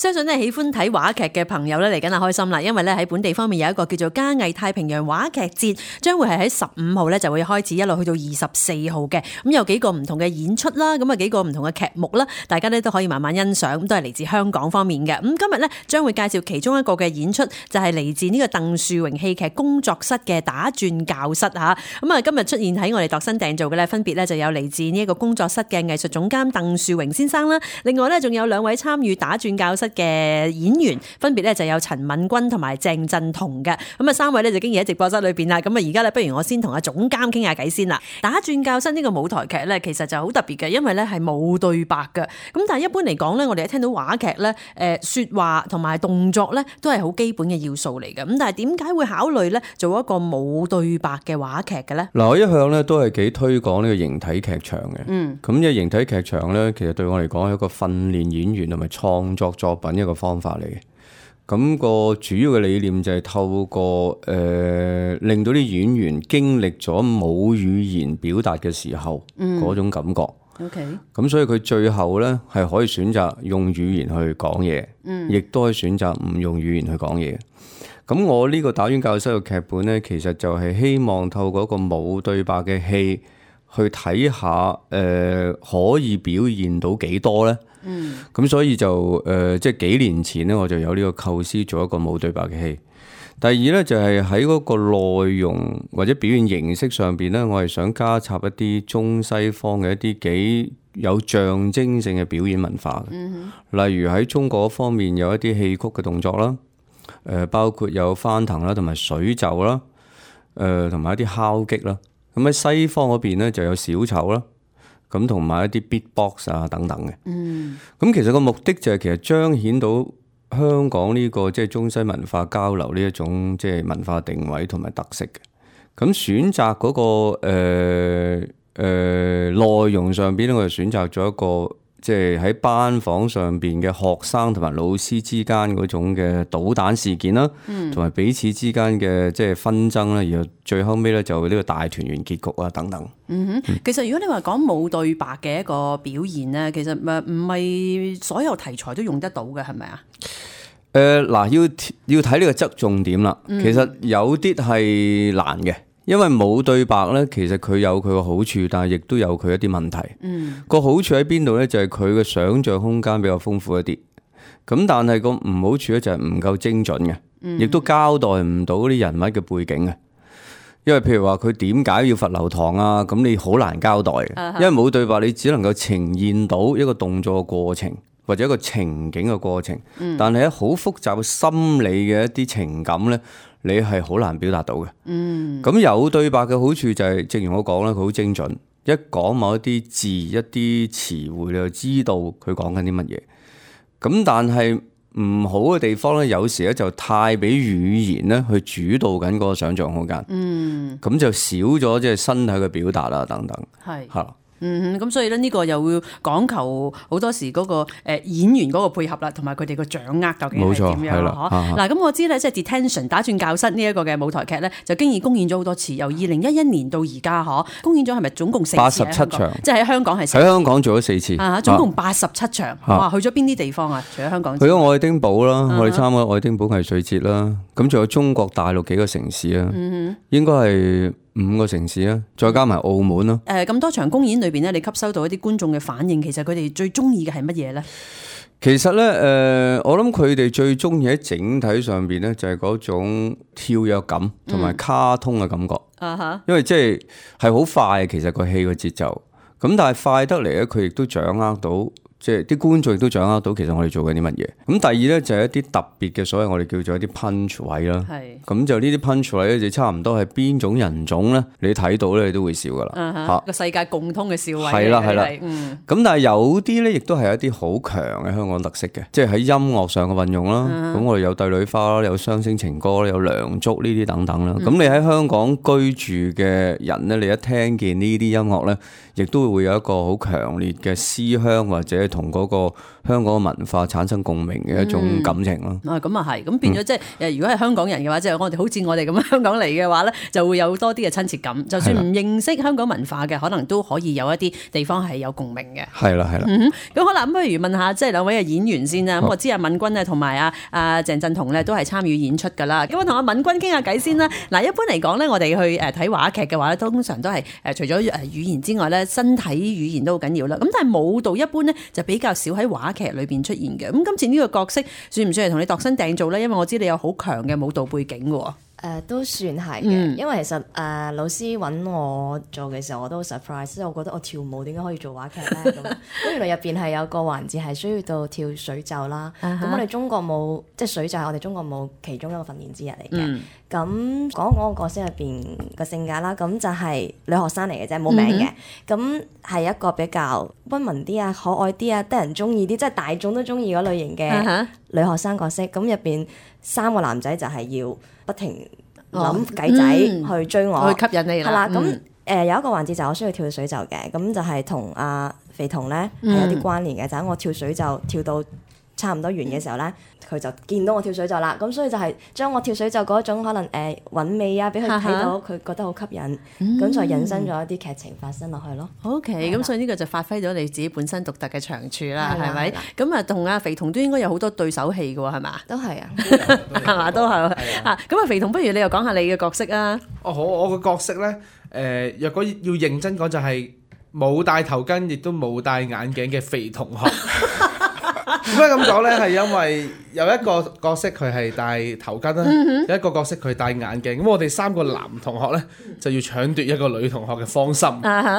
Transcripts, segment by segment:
相信咧喜歡睇話劇嘅朋友咧嚟緊係開心啦，因為咧喺本地方面有一個叫做嘉藝太平洋話劇節，將會係喺15號咧就會開始，一路去到24號嘅。咁有幾個唔同嘅演出啦，咁啊幾個唔同嘅劇目啦，大家咧都可以慢慢欣賞，咁都係嚟自香港方面嘅。咁今日咧將會介紹其中一個嘅演出，就係嚟自呢個鄧樹榮戲劇工作室嘅打轉教室嚇。咁啊今日出現喺我哋度身訂造嘅咧，分別咧就有嚟自呢一個工作室嘅藝術總監鄧樹榮先生啦，另外咧仲有2位參與打轉教室嘅演員，分別咧就有陳敏君同埋鄭振彤嘅。咁啊3位咧就經已喺直播室裏邊啦。咁啊而家咧不如我先同阿總監傾下偈先啦。打轉教室呢個舞台劇咧，其實就好特別嘅，因為咧係冇對白嘅。咁但係一般嚟講咧，我哋一聽到話劇咧，說話同埋動作咧都係好基本嘅要素嚟嘅。咁但係點解會考慮咧做一個冇對白嘅話劇嘅咧？嗱，我一向咧都係幾推廣呢個形體劇場嘅。咁呢個形體劇場咧，其實對我嚟講係一個訓練演員同埋創作作品一個方法嚟嘅。咁個主要嘅理念就係透過令到啲演員經歷咗冇語言表達嘅時候嗰種感覺。OK。咁所以佢最後咧係可以選擇用語言去講嘢，亦都可以選擇唔用語言去講嘢。咁我呢個打轉教室嘅劇本咧，其實就係希望透過一個冇對白嘅戲去睇下可以表現到幾多咧。咁所以就即係幾年前咧，我就有呢個構思做一個冇對白嘅戲。第二咧就係喺嗰個內容或者表現形式上邊咧，我係想加插一啲中西方嘅一啲幾有象徵性嘅表演文化嘅。例如喺中國方面有一啲戲曲嘅動作啦，包括有翻騰啦，同埋水袖啦，同埋一啲敲擊啦。咁喺西方嗰邊咧就有小丑啦。咁同埋一啲 beatbox 啊等等嘅，咁其實個目的就係其實彰顯到香港呢個即係中西文化交流呢一種即係文化定位同埋特色嘅。咁選擇嗰個內容上邊咧，我就選擇咗一個即係喺班房上邊嘅學生同埋老師之間嗰種嘅搗蛋事件啦，同埋彼此之間嘅即係紛爭啦，然後最後尾咧就呢個大團圓結局啊等等。其實如果你話講冇對白嘅一個表現咧，其實唔係所有題材都用得到嘅，係咪啊？嗱，要睇呢個側重點啦。其實有啲係難嘅。因為冇對白咧，其實佢有佢個好處，但係亦都有佢一啲問題。個好處喺邊度咧？就係佢嘅想像空間比較豐富一啲。咁但係個唔好處咧就係唔夠精準嘅，亦都交代唔到啲人物嘅背景嘅。因為譬如話佢點解要罰留堂啊？咁你好難交代嘅，因為冇對白，你只能夠呈現到一個動作嘅過程或者一個情景嘅過程。但係喺好複雜嘅心理嘅一啲情感咧，你係好難表達到嘅。咁有對白嘅好處就係，正如我講啦，佢好精準，一講某一啲字、一啲詞彙，你就知道佢講緊啲乜嘢。咁但係唔好嘅地方咧，有時咧就太俾語言咧去主導緊嗰個想像空間。咁就少咗即係身體嘅表達啦，等等。係。咁所以咧呢個又會講求好多時嗰個演員嗰個配合啦，同埋佢哋個掌握究竟係點樣啦？嗱，咁我知咧，即係 Detention 打轉教室呢一個嘅舞台劇咧，就經已公演咗好多次，由2011年到而家公演咗係咪總共4次？87場，即係喺香港係喺香港做咗4次，總共87場。哇，去咗邊啲地方啊？除咗香港，去咗愛丁堡啦，我哋參加愛丁堡藝術節啦，咁仲有中國大陸幾個城市啊，應該係5個城市啊，再加埋澳門咯。咁多場公演裏邊咧，你吸收到一啲觀眾嘅反應，其實佢哋最中意嘅係乜嘢咧？其實咧，我諗佢哋最中意喺整體上邊咧，就係嗰種跳躍感同埋卡通嘅感覺。因為即係好快，其實個戲嘅節奏。咁但係快得嚟咧，佢亦都掌握到。即係啲觀眾亦都掌握到其實我哋做緊啲乜嘢。咁第二咧就係一啲特別嘅，所謂我哋叫做一啲 punch 位啦。咁就呢啲 punch 位咧，就差唔多係邊種人種咧，你睇到咧你都會笑噶啦。個世界共通嘅笑位。係啦。咁但係有啲咧，亦都係一啲好強嘅香港特色嘅，即係喺音樂上嘅運用啦。咁我哋有帝女花啦，有雙星情歌啦，有梁祝呢啲等等啦。咁你喺香港居住嘅人咧，你一聽見呢啲音樂咧，亦都會有一個好強烈嘅思鄉或者同嗰個香港文化產生共鳴嘅一種感情咯。咁啊係，咁變咗即係如果係香港人嘅話，即係我哋好似我哋咁樣香港嚟嘅話咧，就會有多啲嘅親切感。就算唔認識香港文化嘅，可能都可以有一啲地方係有共鳴嘅。係啦，係啦。咁好啦，咁不如問下即係兩位嘅演員先啦。咁我知阿敏君咧同埋阿鄭振彤咧都係參與演出㗎啦。咁我同阿敏君傾下偈先啦。嗱，一般嚟講咧，我哋去睇話劇嘅話咧，通常都係除咗語言之外咧，身體語言都好緊要啦。咁但係舞蹈一般咧就比較少喺話劇裏邊出現嘅。咁今次呢個角色算唔算係同你度身訂造咧？因為我知你有好強嘅舞蹈背景嘅。都算係嘅，因為其實老師揾我做嘅時候，我都好 surprise，即係我覺得我跳舞點解可以做話劇咧？咁原來入邊係有個環節係需要到跳水袖啦。咁我哋中國舞即係水袖係我哋中國舞其中一個訓練之一嚟嘅。咁講我個角色入邊個性格啦，咁就係女學生嚟嘅啫，冇名嘅。咁係一個比較溫文啲啊、可愛啲啊、得人中意啲，即係大眾都中意嗰類型嘅女學生角色。咁入邊3個男仔就係要不停諗計仔去追我，去吸引你啦。係啦，咁有一個環節就我需要跳水袖嘅，咁就係同阿肥彤咧係有啲關聯嘅，就係我跳水袖跳到差唔多完嘅時候咧，佢就見到我跳水袖啦，咁所以就係將我跳水袖嗰種可能韻味啊，俾佢睇到，佢覺得好吸引，咁就引申咗一啲劇情發生落去咯。OK， 咁所以呢個就發揮咗你自己本身獨特嘅長處啦，係咪？咁啊，同阿肥彤都應該有好多對手戲嘅喎，係嘛？都係啊，係嘛？都係啊。咁啊，肥彤，不如你又講下你嘅角色啊？我個角色咧，若果要認真講，就係冇戴頭巾，亦都冇戴眼鏡嘅肥同學。點解咁講咧？係因為有一個角色佢係戴頭巾啦，有一個角色佢戴眼鏡。咁我哋3個男同學咧就要搶奪一個女同學嘅芳心，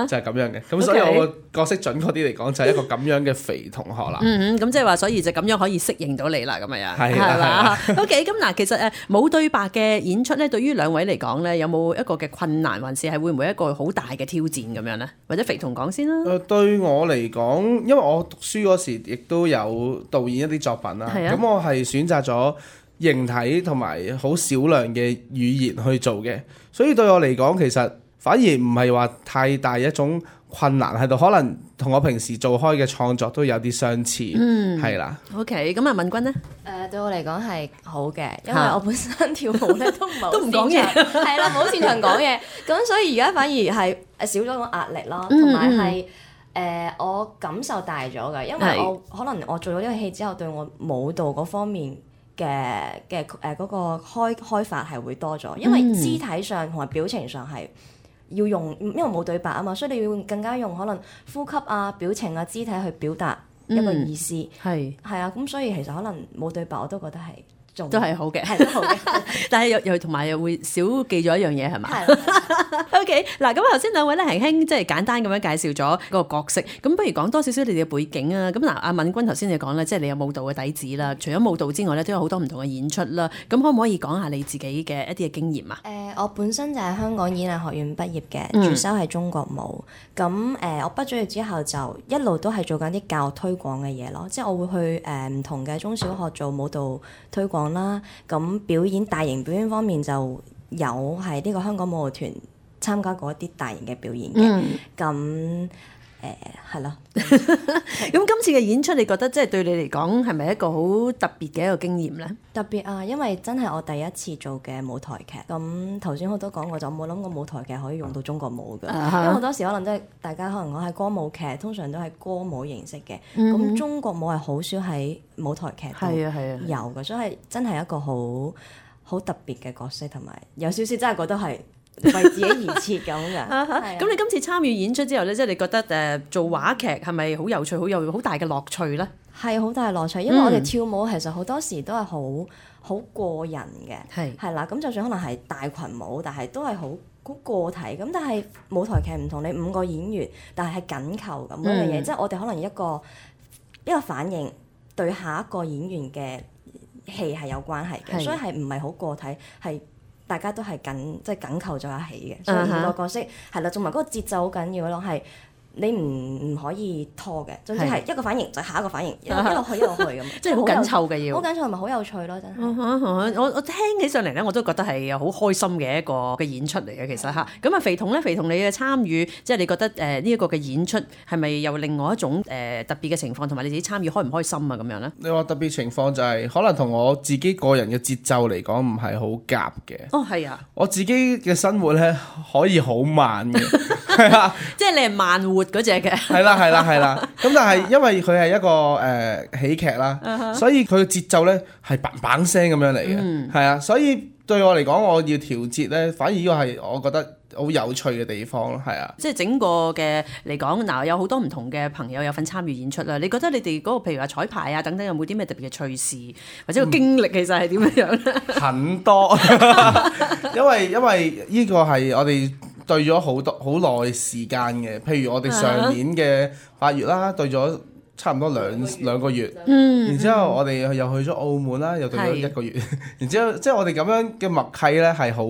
就係咁樣嘅。咁所以我個角色準確啲嚟講，就係一個咁樣嘅肥同學啦。咁即係話，所以就咁樣可以適應到你啦，咁樣係啦。OK， 咁嗱，其實冇對白嘅演出咧，對於兩位嚟講咧，有冇一個嘅困難，還是係會唔會一個好大嘅挑戰咁樣咧？或者肥彤講先啦。對我嚟講，因為我讀書嗰時亦都有導演一啲作品啦，咁我係選擇咗形體同埋好少量嘅語言去做嘅，所以對我嚟講，其實反而唔係話太大一種困難喺度，可能同我平時做開嘅創作都有啲相似，係啦。OK， 咁啊，敏君呢？對我嚟講係好嘅，因為我本身跳舞咧都唔係都唔講嘢，係啦，冇擅長講嘢，咁所以而家反而係少咗個壓力咯，同埋係。我感受大咗㗎，因為我可能我做咗呢個戲之後，對我舞蹈嗰方面嘅嗰個開發係會多咗，因為肢體上同埋表情上係要用，因為冇對白啊嘛，所以你要更加用可能呼吸啊、表情啊、肢體去表達一個意思，係啊，咁所以其實可能冇對白我都覺得係。都係好嘅，係都好嘅，但係又同埋又會少記咗一樣嘢係嘛？OK， 嗱，咁頭先兩位咧輕輕即係簡單咁樣介紹咗個角色，咁不如講多少少你哋嘅背景啊？咁嗱，阿敏君頭先你講咧，即係你有舞蹈嘅底子啦，除咗舞蹈之外咧，都有好多唔同嘅演出啦。咁可唔可以講下你自己嘅一啲嘅經驗啊？我本身就係香港演藝學院畢業嘅，主修係中國舞。咁我畢咗業之後就一路都係做緊啲教育推廣嘅嘢咯，即係我會去唔同嘅中小學做舞蹈推廣啦，咁表演大型表演方面就有係呢個香港舞蹈團參加過一啲大型嘅表演嘅，咁係咯。咁今次嘅演出，你覺得即係對你嚟講係咪一個好特別嘅一個經驗咧？特別啊，因為真係我第一次做嘅舞台劇。咁頭先我都講過，就冇諗過舞台劇可以用到中國舞㗎，因為好多時可能即係大家可能講係歌舞劇，通常都係歌舞形式嘅。咁中國舞係好少喺舞台劇度有嘅，所以真係一個好特別嘅角色，同埋有少少真係覺得係為自己而設咁嘅。咁你今次參與演出之後咧，即係你覺得做話劇係咪好有趣、好有好大嘅樂趣咧？係好大樂趣，因為我哋跳舞其實好多時都係好個人嘅，係啦。咁就算可能係大群舞，但係都係好個體。咁但係舞台劇唔同，你5個演員，但係緊扣咁樣嘢，即係我哋可能一個反應對下一個演員嘅戲係有關係嘅，所以係唔係好個體，係大家都係緊扣咗一起嘅，所以每個角色係啦，同埋嗰個節奏好緊要咯，係你唔可以拖嘅，總之係一個反應就下一個反應，一路去咁，即係好緊湊嘅要。好緊湊，係咪好有趣咯？真係。我聽起上嚟咧，我都覺得係好開心嘅一個嘅演出嚟嘅，其實嚇。咁啊，肥童咧，肥童你嘅參與，即係你覺得呢一個嘅演出係咪有另外一種特別嘅情況，同埋你自己參與開唔開心啊咁樣咧？你話特別情況就係可能同我自己個人嘅節奏嚟講唔係好夾嘅。哦，係啊，我自己嘅生活咧可以好慢嘅，係啊，即係你係慢活嗰隻嘅。係啦。咁但係因為佢係一個喜劇啦，所以佢嘅節奏咧係砰砰聲咁樣嚟嘅，係啊，所以對我嚟講，我要調節咧，反而呢個係我覺得好有趣嘅地方咯，係啊。即係整個嘅嚟講，嗱有好多唔同嘅朋友有份參與演出啦。你覺得你哋嗰個譬如話彩排啊等等，有冇啲咩特別嘅趣事或者個經歷其實係點樣咧？很多，因為呢個係我哋對咗好耐時間嘅。譬如我哋上年嘅8月啦，對咗差唔多兩個月，然之後我哋又去咗澳門啦，又對咗1個月，然之後即係我哋咁樣嘅默契咧係好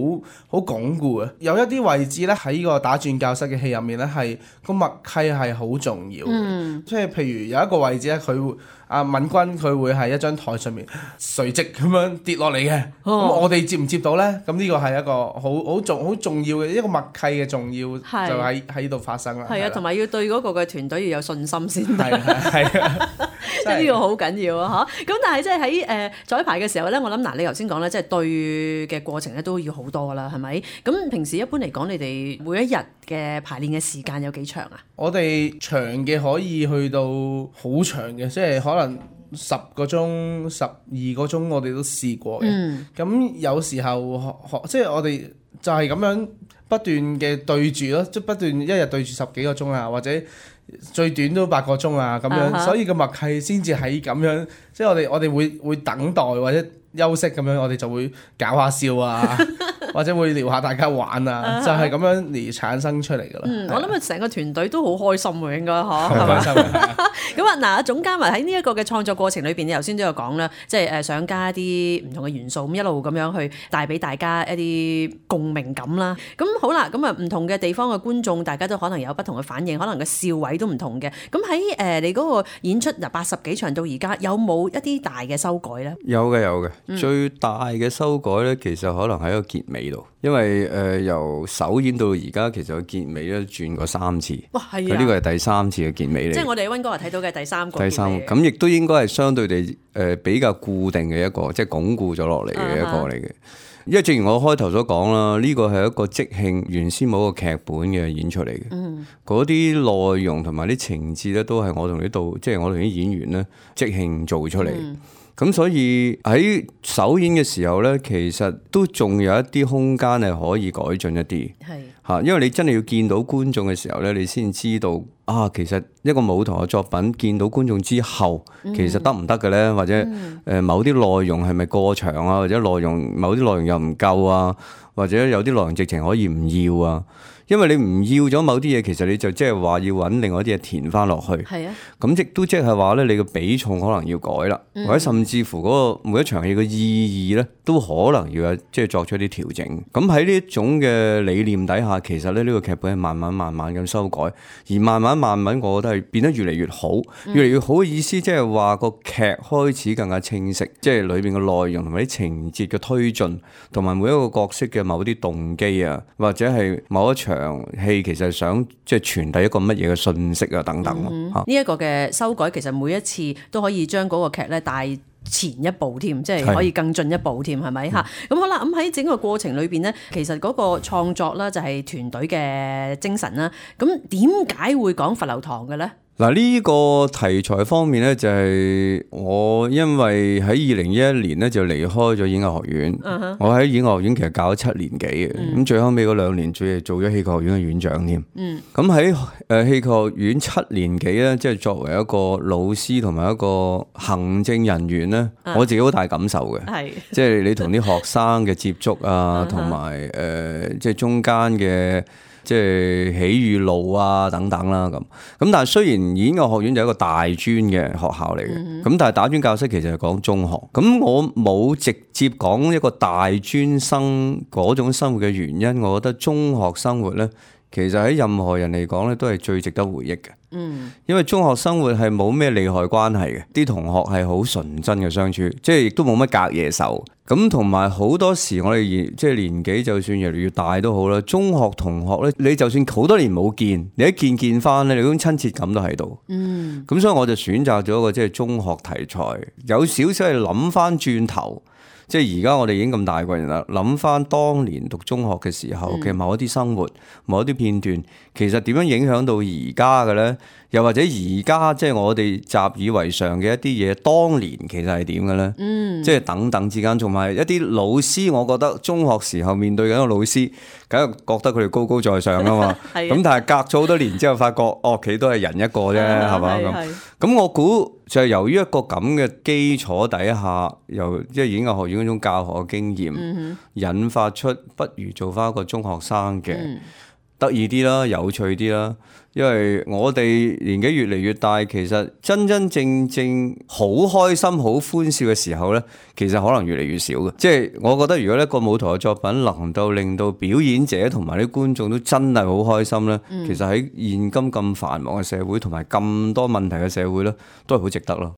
鞏固嘅。有一啲位置咧喺呢個打轉教室嘅戲入面咧係個默契係好重要嘅，即係譬如有一個位置咧佢會。阿敏君佢會係一張台上面垂直咁樣跌落嚟嘅，咁我哋接唔接到咧？咁呢個係一個好重要嘅一個默契嘅重要，就喺度發生啦。係啊，同埋要對嗰個嘅團隊要有信心先得。係啊，即係呢個好緊要啊！嚇，咁但係即係喺彩排嘅時候咧，我諗嗱，你頭先講咧，即係對嘅過程咧都要好多啦，係咪？咁平時一般嚟講，你哋每一日嘅排練嘅時間有幾長啊？我哋長嘅可以去到好長嘅，即係可能10個鐘、12個鐘，我哋都試過嘅。咁有時候即係我哋就係咁樣不斷嘅對住咯，即係不斷一日對住10幾個鐘啊，或者最短都8個鐘啊咁樣，所以個默契先至喺咁樣，即係我哋會等待或者休息咁樣，我哋就會搞下笑啊，或者會撩下大家玩啊，就係咁樣而產生出嚟噶啦。我諗成個團隊都好開心喎，應該嚇。好開心啊！咁啊，嗱，總監喺呢一個嘅創作過程裏邊，你頭先都有講啦，即係想加一啲唔同嘅元素，咁一路咁樣去帶俾大家一啲共鳴感啦。咁好啦，咁啊唔同嘅地方嘅觀眾，大家都可能有不同嘅反應，可能個笑位都唔同嘅。咁喺你嗰個演出由80幾場到而家，有冇一啲大嘅修改咧？有嘅。最大嘅修改咧，其實可能喺個結尾度，因為由首演到而家，其實個結尾咧轉過3次。哇，係啊！佢呢個係第3次嘅結尾嚟。即係我哋喺溫哥華睇到嘅第3個。咁亦都應該係相對地比較固定嘅一個，即係鞏固咗落嚟嘅一個嚟嘅。因為正如我開頭所講啦，呢個係一個即興原先冇個劇本嘅演出嚟嘅。嗰啲內容同埋啲情節咧，都係我同啲演員咧即興做出嚟。咁所以喺首演嘅時候咧，其實都仲有一啲空間係可以改進一啲。係因為你真係要見到觀眾嘅時候咧，你先知道其實一個舞台嘅作品見到觀眾之後，其實得唔得嘅咧？或者某啲內容係咪過長啊？或者某啲內容又唔夠啊？或者有啲內容直情可以唔要啊？因為你唔要咗某啲嘢，其實你就即係話要揾另外一啲嘢填翻落去。係啊，咁亦都即係話咧，你嘅比重可能要改啦，或者甚至乎嗰個每一場戲嘅意義咧，都可能要即係作出一啲調整。咁喺呢一種嘅理念底下，其實咧呢個劇本係慢慢咁修改，而慢慢，我覺得係變得越嚟越好，越嚟越好嘅意思，即係話個劇開始更加清晰，即係裏邊嘅內容同埋啲情節嘅推進，同埋每一個角色嘅某啲動機啊，或者係某一場戲其實想即係傳遞一個乜嘢嘅信息啊等等咯。呢一個嘅修改其實每一次都可以將嗰個劇咧帶前一步添，即係可以更進一步添，係咪嚇？咁好啦，咁喺整個過程裏邊咧，其實嗰個創作啦就係團隊嘅精神啦。咁點解會講浮流堂嘅咧？嗱，呢個題材方面咧，就係我因為喺2011年咧就離開咗演藝學院。我喺演藝學院其實教咗7年幾嘅，咁最後尾嗰2年仲做咗戲劇學院嘅院長添。咁喺戲劇學院7年幾咧，即係作為一個老師同埋一個行政人員咧，我自己好大感受嘅。即係你同啲學生嘅接觸啊，同埋即係中間嘅。即係喜與怒啊等等啦咁，但係雖然演藝學院就係一個大專嘅學校嚟嘅，咁但係打專教室其實係講中學，咁我冇直接講一個大專生嗰種生活嘅原因，我覺得中學生活咧其實喺任何人嚟講咧，都係最值得回憶嘅。因為中學生活係冇咩利害關係嘅，啲同學係好純真嘅相處，即係亦都冇乜隔夜仇。咁同埋好多時我哋即係年紀就算越嚟越大都好啦，中學同學咧，你就算好多年冇見，你一見翻咧，你嗰種親切感都喺度。咁所以我就選擇咗一個即係中學題材，有少少係諗翻轉頭。即係而家我哋已經咁大個人啦，諗翻當年讀中學嘅時候嘅某一啲生活、某一啲片段，其實點樣影響到而家嘅咧？又或者而家即係我哋習以為常嘅一啲嘢，當年其實係點嘅咧？即係等等之間，同埋一啲老師，我覺得中學時候面對緊個老師，梗係覺得佢哋高高在上啊嘛。咁但係隔咗好多年之後，發覺哦，佢都係人一個啫，係嘛咁我估就係由於一個咁嘅基礎底下，由即係演藝學院嗰種教學嘅經驗，引發出不如做翻一個中學生嘅。得意啲啦，有趣啲啦，因為我哋年紀越嚟越大，其實真真正正好開心、好歡笑嘅時候呢，其實可能越嚟越少嘅。即係我覺得，如果一個舞台嘅作品能夠令到表演者同埋啲觀眾都真係好開心呢，其實喺現今咁繁忙嘅社會同埋咁多問題嘅社會呢，都係好值得咯。